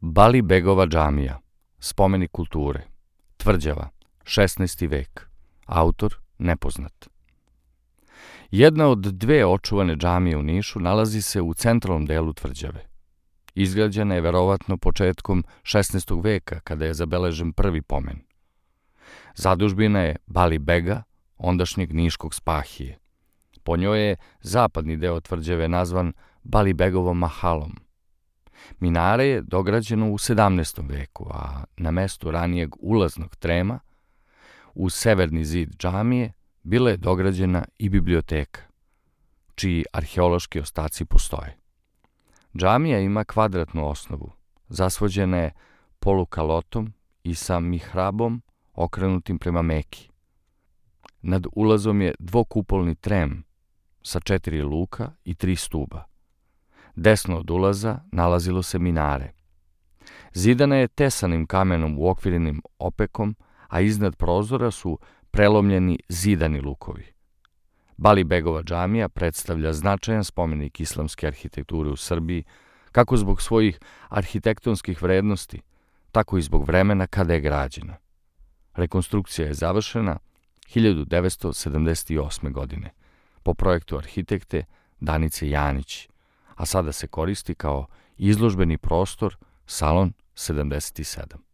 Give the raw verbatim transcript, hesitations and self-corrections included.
Balibegova džamija, spomenik kulture, tvrđava, šesnaesti vek, autor nepoznat. Jedna od dve očuvane džamije u Nišu nalazi se u centralnom delu tvrđave. Izgrađena je verovatno početkom šesnaestog veka, kada je zabeležen prvi pomen. Zadužbina je Balibega, ondašnjeg niškog Spahije. Po njoj je zapadni deo tvrđave nazvan Balibegovom mahalom. Minare je dograđeno u sedamnaestom veku, a na mestu ranijeg ulaznog trema, uz severni zid džamije, bila je dograđena i biblioteka, čiji arheološki ostaci postoje. Džamija ima kvadratnu osnovu, zasvođena je polukalotom i sa mihrabom okrenutim prema Meki. Nad ulazom je dvokupolni trem sa četiri luka i tri stuba. Desno od ulaza nalazilo se minare. Zidana je tesanim kamenom uokvirenim opekom, a iznad prozora su prelomljeni zidani lukovi. Balibegova džamija predstavlja značajan spomenik islamske arhitekture u Srbiji, kako zbog svojih arhitektonskih vrednosti, tako i zbog vremena kada je građena. Rekonstrukcija je završena hiljadu devetsto sedamdeset osme. godine po projektu arhitekte Danice Janić, a sada se koristi kao izložbeni prostor Salon sedamdeset sedam.